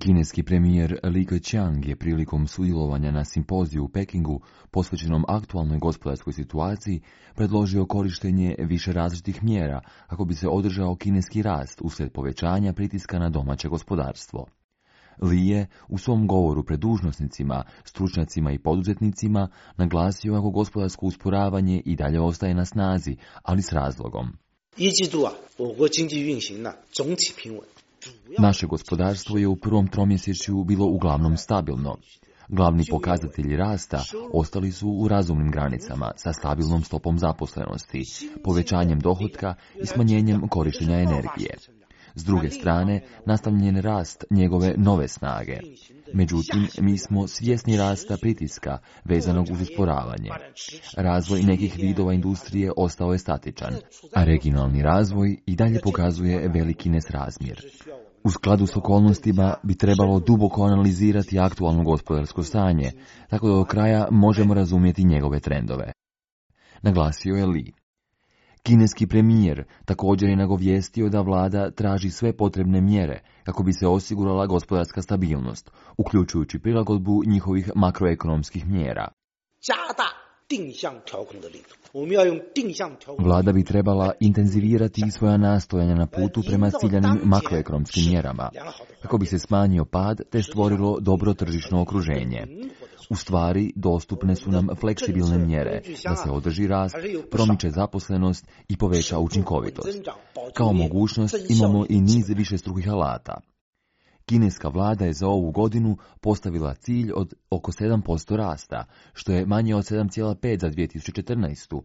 Kineski premijer Li Keqiang je prilikom sudjelovanja na simpoziju u Pekingu posvećenom aktualnoj gospodarskoj situaciji predložio korištenje više različitih mjera kako bi se održao kineski rast uslijed povećanja pritiska na domaće gospodarstvo. Li je u svom govoru pred dužnosnicima, stručnjacima i poduzetnicima naglasio kako gospodarsko usporavanje i dalje ostaje na snazi, ali s razlogom. Naše gospodarstvo je u prvom tromjesečju bilo uglavnom stabilno. Glavni pokazatelji rasta ostali su u razumnim granicama sa stabilnom stopom zaposlenosti, povećanjem dohotka i smanjenjem korištenja energije. S druge strane, nastavljen je rast njegove nove snage. Međutim, mi smo svjesni rasta pritiska vezanog uz usporavanje. Razvoj nekih vidova industrije ostao je statičan, a regionalni razvoj i dalje pokazuje veliki nesrazmjer. U skladu s okolnostima bi trebalo duboko analizirati aktualno gospodarsko stanje, tako da do kraja možemo razumjeti njegove trendove. Naglasio je Li. Kineski premijer također je nagovijestio da vlada traži sve potrebne mjere kako bi se osigurala gospodarska stabilnost, uključujući prilagodbu njihovih makroekonomskih mjera. Vlada bi trebala intenzivirati svoja nastojanja na putu prema ciljanim makroekonomskim mjerama, kako bi se smanjio pad te stvorilo dobro tržišno okruženje. U stvari, dostupne su nam fleksibilne mjere da se održi rast, promiče zaposlenost i poveća učinkovitost. Kao mogućnost imamo i niz višestrukih alata. Kineska vlada je za ovu godinu postavila cilj od oko 7% rasta, što je manje od 7,5 za 2014.